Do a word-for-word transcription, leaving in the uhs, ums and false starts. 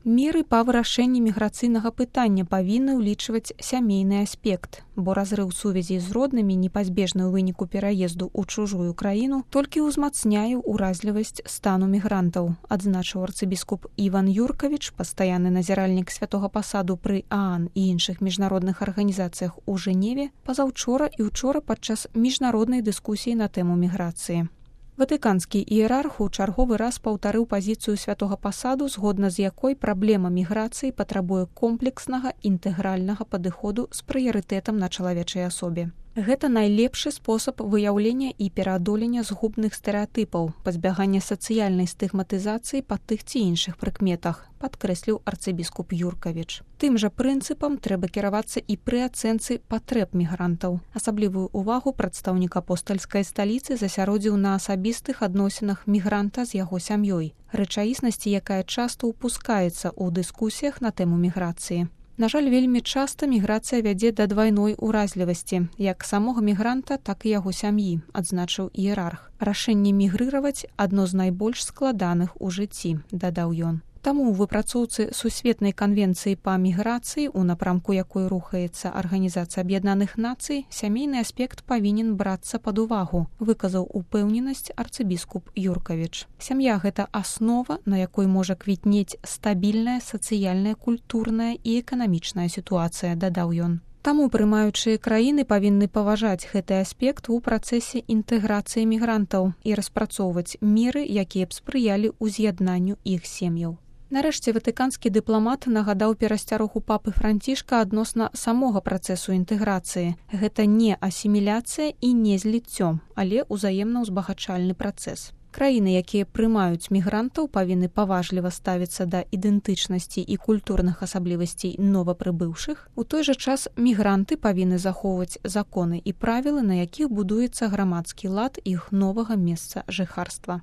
Меры па вырашэнні міграцыйнага пытання павінны ўлічваць сямейны аспект, бо разрыў сувязі з роднымі, непазбежны ў выніку пераезду ў чужую краіну, толькі ўзмацняе ўразлівасць стану мігрантаў, адзначыў арцыбіскуп Іван Юркавіч, пастаянны назіральнік святога пасаду пры ААН і іншых міжнародных арганізацыях у Жэневе пазаўчора і ўчора падчас міжнароднай дыскусіі на тэму міграцыі. Ватыканскі іерарх у чарговы раз паўтарыў пазіцыю святога пасаду, згодна з якой праблема міграцыі патрабуе комплекснага інтэгральнага падыходу з прыярытэтам на чалавечай асобе. Гэта найлепшы спосаб выяўлення і пераадолення згубных стэрэатыпаў, пазбягання сацыяльнай стыгматызацыі па тых ці іншых прыкметах, падкрэсліў арцыбіскуп Юркавіч. Тым жа прынцыпам трэба кіравацца і пры ацэнцы патрэб мігрантаў. Асаблівую ўвагу прадстаўнік апостальскай сталіцы засяродзіў на асабістых адносінах мігранта з яго сям'ёй, рэчаіснасці, якая часта ўпускаецца ў дыскусіях на тэму міграцыі. На жаль, вельмі часта міграцыя вядзе да двайной уразлівасці, як самога мігранта, так і яго сям'і, адзначыў іерарх. Рашэнне мігрыраваць адно з найбольш складаных у жыцці, дадаў ён. Таму ў выпрацоўцы Сусветнай канвенцыі па міграцыі, у напрамку якой рухаецца Арганізацыя Аб'яднаных Нацый, сямейны аспект павінен брацца пад увагу, выказаў упэўненасць арцыбіскуп Юркавіч. Сям'я – гэта аснова, на якой можа квітнець стабільная сацыяльная, культурная і эканамічная сітуацыя, дадаў ён. Таму прымаючыя краіны павінны паважаць гэты аспект у працэсе інтэграцыі мігрантаў і распрацоўваць меры, якія б спрыялі ўз'яднанню іх сем'яў. Нарэшце ватыканскі дыпламат нагадаў перасцярогу папы Францішка адносна самога працэсу інтэграцыі. Гэта не асіміляцыя і не зліццё, але ўзаемна ўзбагачальны працэс. Краіны, якія прымаюць мігрантаў, павінны паважліва ставіцца да ідэнтычнасці і культурных асаблівасцей новапрыбыўшых. У той жа час мігранты павінны захоўваць законы і правілы, на якіх будуецца грамадскі лад іх новага месца жыхарства.